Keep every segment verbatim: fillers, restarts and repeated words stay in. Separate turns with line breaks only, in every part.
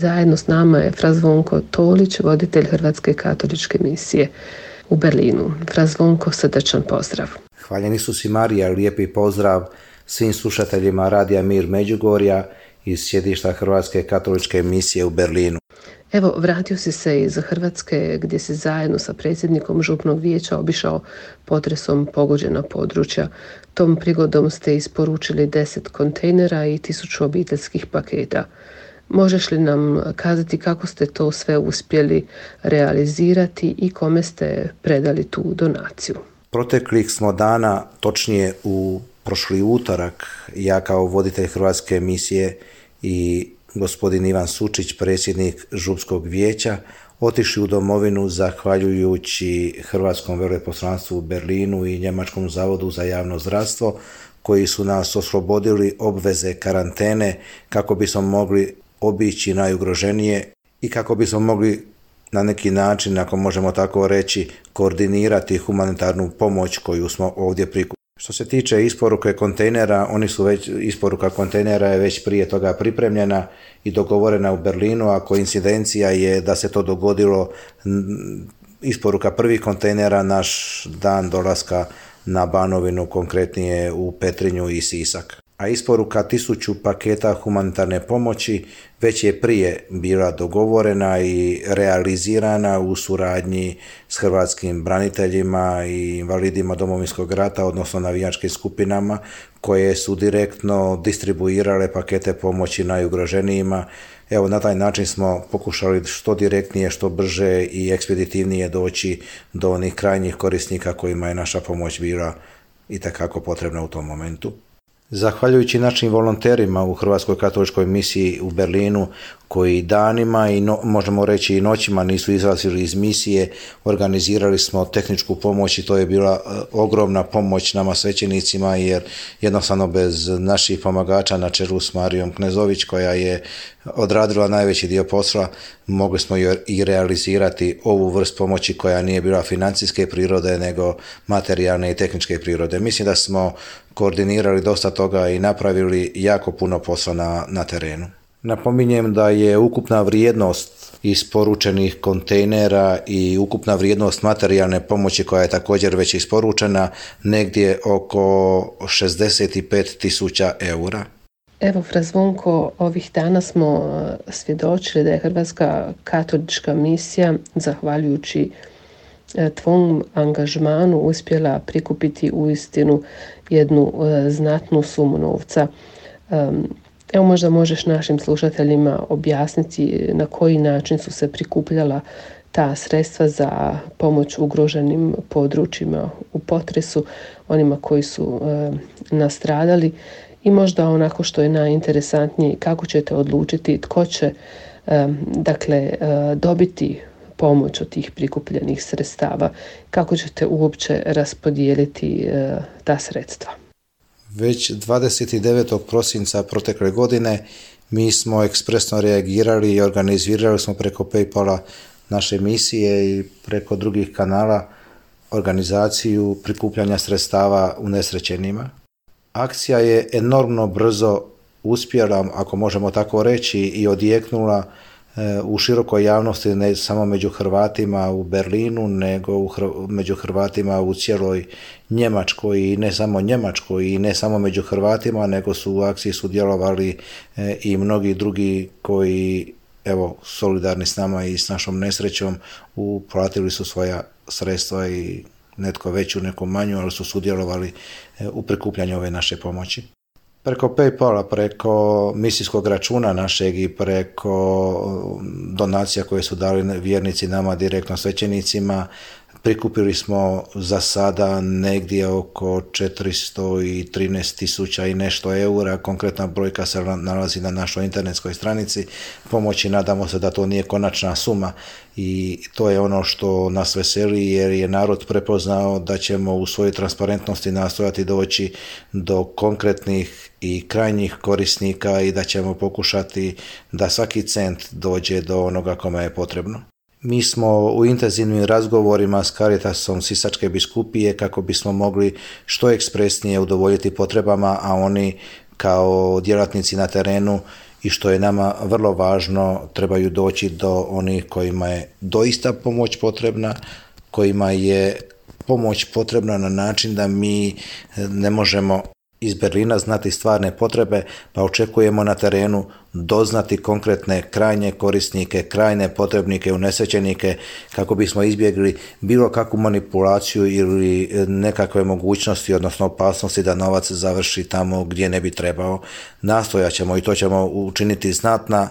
Zajedno s nama je Fra Zvonko Tolić, voditelj Hrvatske katoličke misije u Berlinu. Fra Zvonko, srdačan pozdrav.
Hvaljen Isus i Marija, lijepi pozdrav svim slušateljima Radija Mir Međugorja iz sjedišta Hrvatske katoličke misije u Berlinu.
Evo, vratio si se iz Hrvatske gdje si zajedno sa predsjednikom župnog vijeća obišao potresom pogođena područja. Tom prigodom ste isporučili deset kontejnera i tisuću obiteljskih paketa. Možeš li nam kazati kako ste to sve uspjeli realizirati i kome ste predali tu donaciju?
Proteklih smo dana, točnije u prošli utorak, ja kao voditelj Hrvatske misije i gospodin Ivan Sučić, predsjednik župskog vijeća, otišli u domovinu zahvaljujući Hrvatskom veleposlanstvu u Berlinu i Njemačkom zavodu za javno zdravstvo, koji su nas oslobodili obveze karantene kako bismo mogli obići najugroženije i kako bismo mogli na neki način, ako možemo tako reći, koordinirati humanitarnu pomoć koju smo ovdje prikupili. Što se tiče isporuke kontejnera, oni su već, isporuka kontejnera je već prije toga pripremljena i dogovorena u Berlinu, a koincidencija je da se to dogodilo isporuka prvih kontejnera naš dan dolaska na Banovinu, konkretnije u Petrinju i Sisak. A isporuka tisuću paketa humanitarne pomoći već je prije bila dogovorena i realizirana u suradnji s hrvatskim braniteljima i invalidima Domovinskog rata, odnosno navijačkim skupinama koje su direktno distribuirale pakete pomoći najugroženijima. Evo, na taj način smo pokušali što direktnije, što brže i ekspeditivnije doći do onih krajnjih korisnika kojima je naša pomoć bila itekako potrebna u tom momentu. Zahvaljujući našim volonterima u Hrvatskoj katoličkoj misiji u Berlinu, koji danima i no, možemo reći i noćima nisu izlazili iz misije, organizirali smo tehničku pomoć i to je bila ogromna pomoć nama svećenicima, jer jednostavno bez naših pomagača na čelu s Marijom Knezović, koja je odradila najveći dio posla, mogli smo i realizirati ovu vrst pomoći koja nije bila financijske prirode nego materijalne i tehničke prirode. Mislim da smo koordinirali dosta toga i napravili jako puno posla na, na terenu. Napominjem da je ukupna vrijednost isporučenih kontejnera i ukupna vrijednost materijalne pomoći koja je također već isporučena negdje oko šezdeset pet tisuća eura.
Evo, Fra Zvonko, ovih dana smo svjedočili da je Hrvatska katolička misija, zahvaljujući tvom angažmanu, uspjela prikupiti uistinu jednu znatnu sumu novca. Evo, možda možeš našim slušateljima objasniti na koji način su se prikupljala ta sredstva za pomoć ugroženim područjima u potresu, onima koji su e, nastradali, i možda onako što je najinteresantnije, kako ćete odlučiti tko će e, dakle, e, dobiti pomoć od tih prikupljenih sredstava, kako ćete uopće raspodijeliti e, ta sredstva.
Već dvadeset devetog prosinca protekle godine mi smo ekspresno reagirali i organizirali smo preko PayPala naše misije i preko drugih kanala organizaciju prikupljanja sredstava unesrećenima. Akcija je enormno brzo uspjela, ako možemo tako reći, i odjeknula u širokoj javnosti, ne samo među Hrvatima u Berlinu, nego u Hr- među Hrvatima u cijeloj Njemačkoj, i ne samo Njemačkoj, i ne samo među Hrvatima, nego su u akciji sudjelovali e, i mnogi drugi koji, evo, solidarni s nama i s našom nesrećom, uplatili su svoja sredstva, i netko veću, neko manju, ali su sudjelovali e, u prikupljanju ove naše pomoći. Preko PayPala, preko misijskog računa našeg i preko donacija koje su dali vjernici nama direktno svećenicima, prikupili smo za sada negdje oko četiristo trinaest tisuća i nešto eura. Konkretna brojka se nalazi na našoj internetskoj stranici pomoći. Nadamo se da to nije konačna suma, i to je ono što nas veseli, jer je narod prepoznao da ćemo u svojoj transparentnosti nastojati doći do konkretnih i krajnjih korisnika i da ćemo pokušati da svaki cent dođe do onoga kome je potrebno. Mi smo u intenzivnim razgovorima s Caritasom Sisačke biskupije kako bismo mogli što ekspresnije udovoljiti potrebama, a oni kao djelatnici na terenu i što je nama vrlo važno, trebaju doći do onih kojima je doista pomoć potrebna, kojima je pomoć potrebna na način da mi ne možemo iz Berlina znati stvarne potrebe, pa očekujemo na terenu doznati konkretne krajnje korisnike, krajne potrebnike, unesrećenike, kako bismo izbjegli bilo kakvu manipulaciju ili nekakve mogućnosti, odnosno opasnosti da novac završi tamo gdje ne bi trebao. Nastojat ćemo i to ćemo učiniti znatna,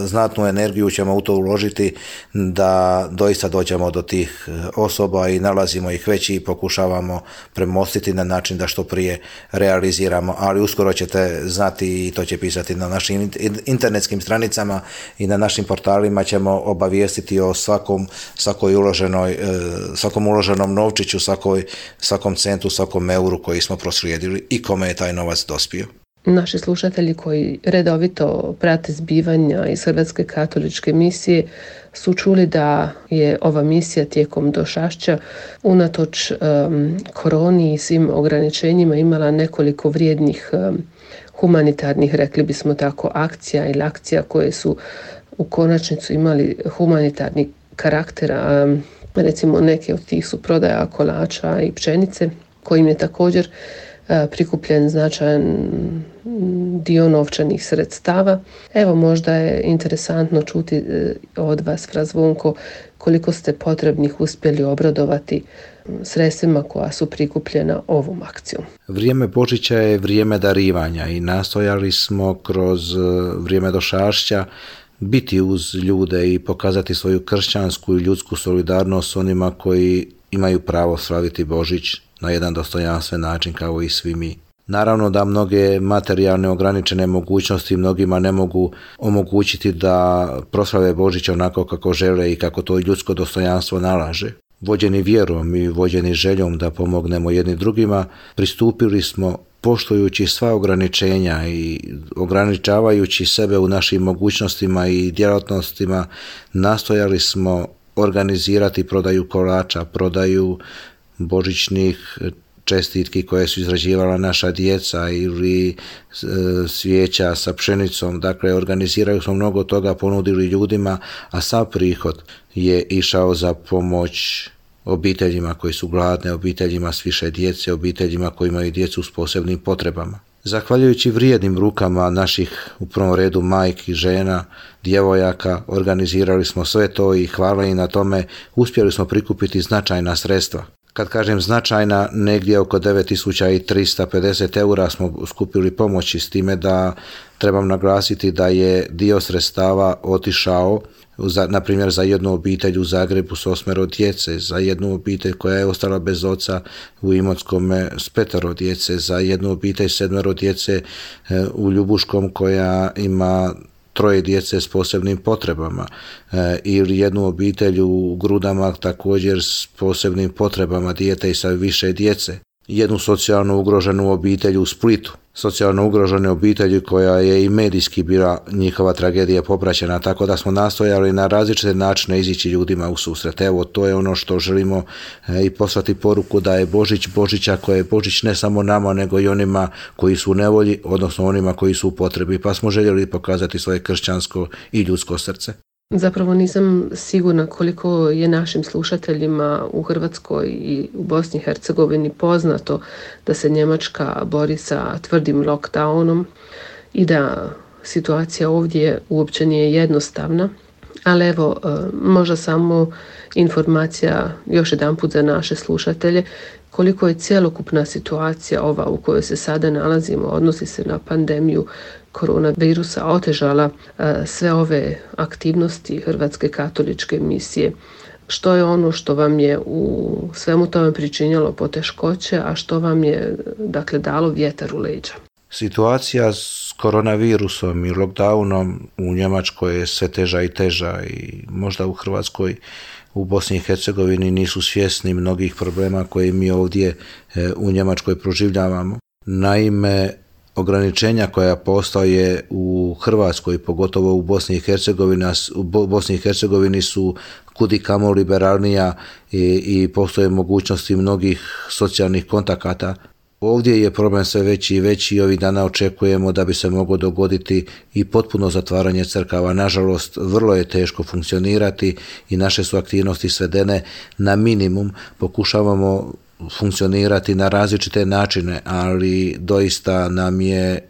znatnu energiju ćemo u to uložiti da doista dođemo do tih osoba i nalazimo ih već i pokušavamo premostiti na način da što prije realiziramo, ali uskoro ćete znati i to će pisati na našim internetskim stranicama i na našim portalima ćemo obavijestiti o svakom, svakoj uloženoj, svakom uloženom novčiću, svakoj, svakom centu, svakom euru koji smo proslijedili i kome je taj novac dospio.
Naši slušatelji koji redovito prate zbivanja iz Hrvatske katoličke misije su čuli da je ova misija tijekom došašća unatoč um, koroni i svim ograničenjima imala nekoliko vrijednih um, humanitarnih, rekli bismo tako, akcija ili akcija koje su u konačnicu imali humanitarni karakter. Um, recimo neke od tih su prodaja kolača i pšenice, kojim je također prikupljen značajan dio novčanih sredstava. Evo, možda je interesantno čuti od vas, fra Zvonko, koliko ste potrebnih uspjeli obradovati sredstvima koja su prikupljena ovom akcijom.
Vrijeme Božića je vrijeme darivanja i nastojali smo kroz vrijeme došašća biti uz ljude i pokazati svoju kršćansku i ljudsku solidarnost s onima koji imaju pravo slaviti Božić na jedan dostojanstven način kao i svi mi. Naravno da mnoge materijalne ograničene mogućnosti mnogima ne mogu omogućiti da proslave Božić onako kako žele i kako to ljudsko dostojanstvo nalaže. Vođeni vjerom i vođeni željom da pomognemo jedni drugima, pristupili smo poštujući sva ograničenja i ograničavajući sebe u našim mogućnostima i djelatnostima, nastojali smo organizirati prodaju kolača, prodaju božićnih čestitki koje su izrađivala naša djeca ili e, svijeća sa pšenicom. Dakle, organiziraju smo mnogo toga, ponudili ljudima, a sav prihod je išao za pomoć obiteljima koji su gladne, obiteljima s više djece, obiteljima koji imaju djecu s posebnim potrebama. Zahvaljujući vrijednim rukama naših, u prvom redu majki, žena, djevojaka, organizirali smo sve to i hvala im na tome, uspjeli smo prikupiti značajna sredstva. Kad kažem značajna, negdje oko devet tisuća tristo pedeset eura smo skupili pomoći, s time da trebam naglasiti da je dio sredstava otišao, za, na primjer za jednu obitelj u Zagrebu s osmero djece, za jednu obitelj koja je ostala bez oca u Imotskome s petero djece, za jednu obitelj sedmero djece u Ljubuškom koja ima troje djece s posebnim potrebama e, ili jednu obitelj u Grudama također s posebnim potrebama, dijete i sa više djece. Jednu socijalno ugroženu obitelj u Splitu, socijalno ugrožene obitelji koja je i medijski bila njihova tragedija popraćena, tako da smo nastojali na različite načine izići ljudima u susret. Evo, to je ono što želimo e, i poslati poruku da je Božić Božića, koja je Božić ne samo nama nego i onima koji su u nevolji, odnosno onima koji su u potrebi, pa smo željeli pokazati svoje kršćansko i ljudsko srce.
Zapravo nisam sigurna koliko je našim slušateljima u Hrvatskoj i u Bosni i Hercegovini poznato da se Njemačka bori sa tvrdim lockdownom i da situacija ovdje uopće nije jednostavna. Ali evo, možda samo informacija još jedanput za naše slušatelje koliko je cjelokupna situacija ova u kojoj se sada nalazimo, odnosi se na pandemiju koronavirusa, otežala sve ove aktivnosti Hrvatske katoličke misije. Što je ono što vam je u svemu tome pričinjalo poteškoće, a što vam je, dakle, dalo vjetar u leđa?
Situacija s koronavirusom i lockdownom u Njemačkoj je sve teža i teža i možda u Hrvatskoj, u Bosni i Hercegovini nisu svjesni mnogih problema koje mi ovdje u Njemačkoj proživljavamo. Naime, ograničenja koja postoje u Hrvatskoj, pogotovo u Bosni i Hercegovini, u Bosni i Hercegovini su kudikamo liberalnija i, i postoje mogućnosti mnogih socijalnih kontakata. Ovdje je problem sve veći i veći i ovih dana očekujemo da bi se moglo dogoditi i potpuno zatvaranje crkava. Nažalost, vrlo je teško funkcionirati i naše su aktivnosti svedene na minimum. Pokušavamo funkcionirati na različite načine, ali doista nam je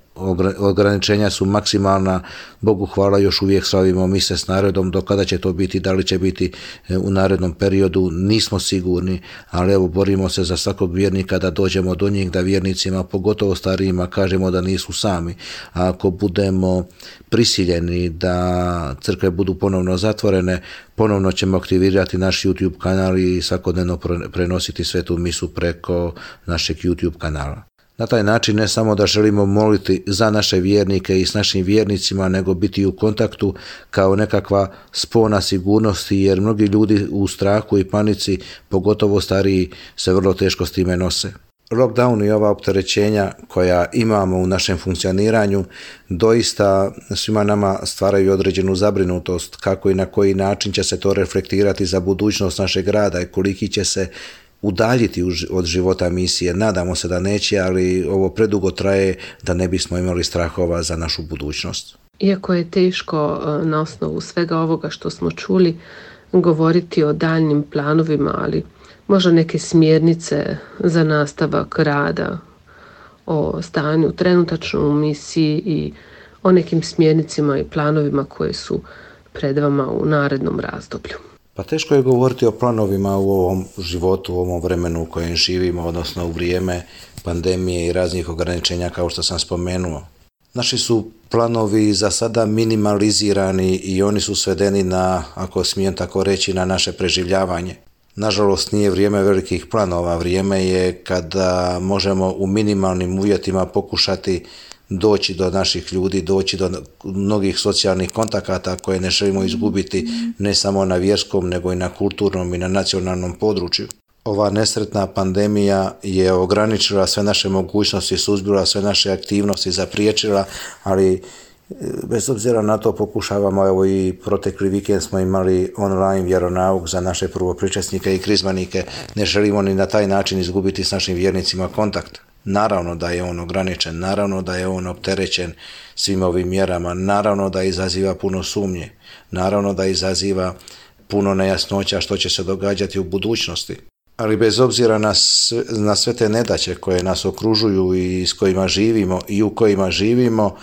ograničenja su maksimalna. Bogu hvala, još uvijek slavimo mise s narodom. Do kada će to biti, da li će biti u narednom periodu, nismo sigurni, ali evo borimo se za svakog vjernika da dođemo do njih, da vjernicima, pogotovo starijima, kažemo da nisu sami. A ako budemo prisiljeni da crkve budu ponovno zatvorene, ponovno ćemo aktivirati naš YouTube kanal i svakodnevno prenositi svetu misu preko našeg YouTube kanala. Na taj način ne samo da želimo moliti za naše vjernike i s našim vjernicima, nego biti u kontaktu kao nekakva spona sigurnosti, jer mnogi ljudi u strahu i panici, pogotovo stariji, se vrlo teško s time nose. Lockdown i ova opterećenja koja imamo u našem funkcioniranju doista svima nama stvaraju određenu zabrinutost kako i na koji način će se to reflektirati za budućnost našeg rada i koliki će se udaljiti od života misije. Nadamo se da neće, ali ovo predugo traje da ne bismo imali strahova za našu budućnost.
Iako je teško na osnovu svega ovoga što smo čuli govoriti o daljnim planovima, ali možda neke smjernice za nastavak rada, o stanju trenutačno u misiji i o nekim smjernicima i planovima koje su pred vama u narednom razdoblju.
Pa teško je govoriti o planovima u ovom životu, u ovom vremenu u kojem živimo, odnosno u vrijeme pandemije i raznih ograničenja kao što sam spomenuo. Naši su planovi za sada minimalizirani i oni su svedeni na, ako smijem tako reći, na naše preživljavanje. Nažalost, nije vrijeme velikih planova, vrijeme je kada možemo u minimalnim uvjetima pokušati doći do naših ljudi, doći do mnogih socijalnih kontakata koje ne želimo izgubiti ne samo na vjerskom, nego i na kulturnom i na nacionalnom području. Ova nesretna pandemija je ograničila sve naše mogućnosti, suzbila sve naše aktivnosti, zapriječila, ali bez obzira na to pokušavamo, evo i protekli vikend smo imali online vjeronauk za naše prvopričesnike i krizmanike, ne želimo ni na taj način izgubiti s našim vjernicima kontakt. Naravno da je on ograničen, naravno da je on opterećen svim ovim mjerama, naravno da izaziva puno sumnje, naravno da izaziva puno nejasnoća što će se događati u budućnosti. Ali bez obzira na sve, na sve te nedaće koje nas okružuju i s kojima živimo i u kojima živimo,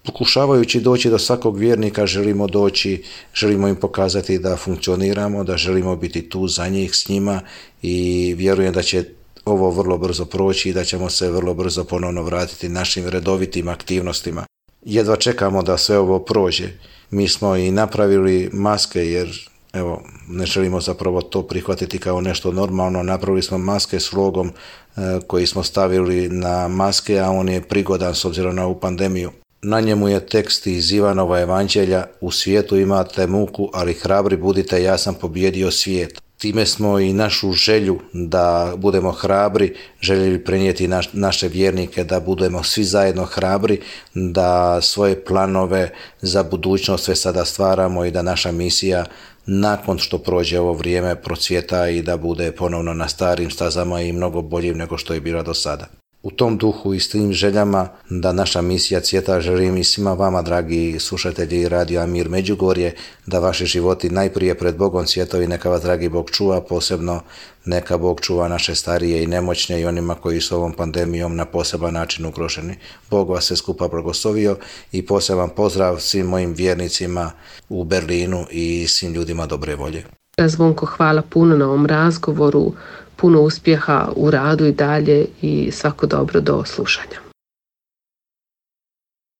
pokušavajući doći do svakog vjernika želimo doći, želimo im pokazati da funkcioniramo, da želimo biti tu za njih, s njima i vjerujem da će ovo vrlo brzo proći i da ćemo se vrlo brzo ponovno vratiti našim redovitim aktivnostima. Jedva čekamo da sve ovo prođe. Mi smo i napravili maske jer evo, ne želimo zapravo to prihvatiti kao nešto normalno. Napravili smo maske s logom e, koji smo stavili na maske, a on je prigodan s obzirom na ovu pandemiju. Na njemu je tekst iz Ivanova evanđelja: u svijetu imate muku, ali hrabri budite, ja sam pobijedio svijet. Time smo i našu želju da budemo hrabri željeli prenijeti naš, naše vjernike, da budemo svi zajedno hrabri, da svoje planove za budućnost sve sada stvaramo i da naša misija nakon što prođe ovo vrijeme procvjeta i da bude ponovno na starim stazama i mnogo boljim nego što je bila do sada. U tom duhu i s tim željama da naša misija cvjeta želim i svima vama, dragi slušatelji Radio Amir Međugorje, da vaši životi najprije pred Bogom cvjetovi, neka vas dragi Bog čuva, posebno neka Bog čuva naše starije i nemoćne i onima koji su ovom pandemijom na poseban način ugroženi. Bog vas sve skupa blagoslovio i poseban pozdrav svim mojim vjernicima u Berlinu i svim ljudima dobre volje.
Zvonko, hvala puno na ovom razgovoru, puno uspjeha u radu i dalje i svako dobro do slušanja.